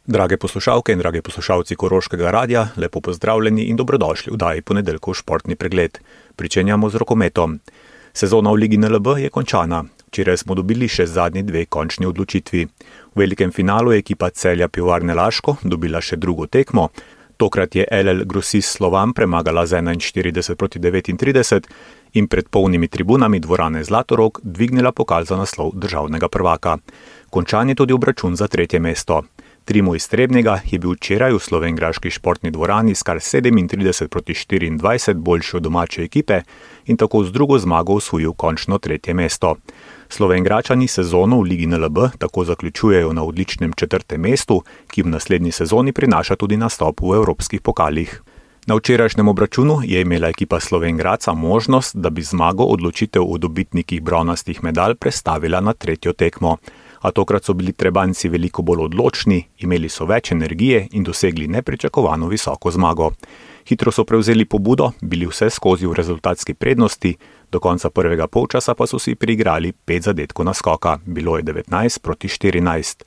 Drage poslušalke in dragi poslušalci Koroškega radia, lepo pozdravljeni in dobrodošli v oddaji Ponedeljkov športni pregled. Pričenjamo z rokometom. Sezona v Ligi NLB je končana. Včeraj smo dobili še zadnji dve končni odločitvi. V velikem finalu je ekipa Celja Pivovarne Laško dobila še drugo tekmo. Tokrat je LL Grosist Slovan premagala z 41:39 in pred polnimi tribunami dvorane Zlatorog dvignila pokal za naslov državnega prvaka. Končan je tudi obračun za tretje mesto. Trimo iz Trebnjega je bil včeraj v slovenjgraški športni dvorani s kar 37:24 boljši od domače ekipe in tako z drugo zmago osvojil končno tretje mesto. Slovenjgračani sezono v Ligi NLB tako zaključujejo na odličnem četrtem mestu, ki v naslednji sezoni prinaša tudi nastop v evropskih pokalih. Na včerajšnjem obračunu je imela ekipa Slovenjgradca možnost, da bi zmago odločitev o dobitnikih bronastih medalj prestavila na tretjo tekmo. A tokrat so bili Trebanjci veliko bolj odločni, imeli so več energije in dosegli nepričakovano visoko zmago. Hitro so prevzeli pobudo, bili vse skozi v rezultatski prednosti, do konca prvega polčasa pa so si priigrali 5 zadetkov naskoka, bilo je 19:14.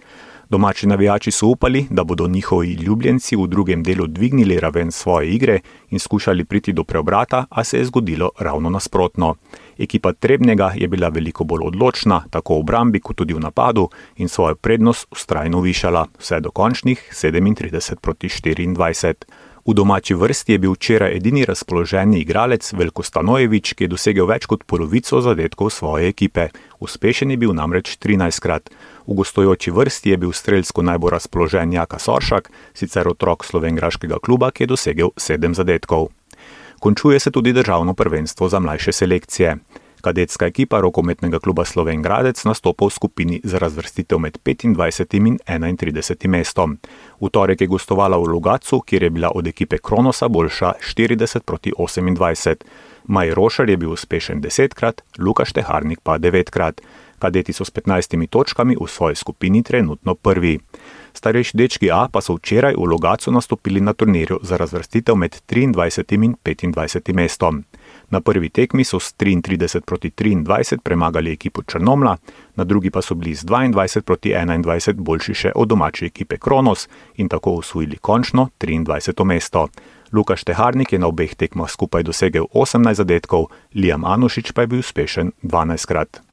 Domači navijači so upali, da bodo njihovi ljubljenci v drugem delu dvignili raven svoje igre in skušali priti do preobrata, a se je zgodilo ravno nasprotno. Ekipa Trebnjega je bila veliko bolj odločna, tako v obrambi kot tudi v napadu in svojo prednost vztrajno višala, vse do končnih 37:24. V domači vrsti je bil včeraj edini razpoloženi igralec Veljko Stanojević, ki je dosegel več kot polovico zadetkov svoje ekipe. Uspešen je bil namreč 13-krat. V gostujoči vrsti je bil strelsko najbolj razpoložen Jaka Soršak, sicer otrok slovenjgraškega kluba, ki je dosegel 7 zadetkov. Končuje se tudi državno prvenstvo za mlajše selekcije. Kadetska ekipa rokometnega kluba Slovenjgradec nastopa v skupini za razvrstitev med 25. in 31. mestom. V torek je gostovala v Logatcu, kjer je bila od ekipe Kronosa boljša 40:28. Maj Rošer je bil uspešen 10-krat, Luka Šteharnik pa 9-krat. Kadeti so s 15 točkami v svoji skupini trenutno prvi. Starejši dečki A pa so včeraj v Logatcu nastopili na turnirju za razvrstitev med 23. in 25. mestom. Na prvi tekmi so s 33:23 premagali ekipo Črnomlja, na drugi pa so bili z 22:21 boljši še od domače ekipe Kronos in tako osvojili končno 23. mesto. Luka Šteharnik je na obeh tekmah skupaj dosegel 18 zadetkov, Liam Anušič pa je bil uspešen 12-krat.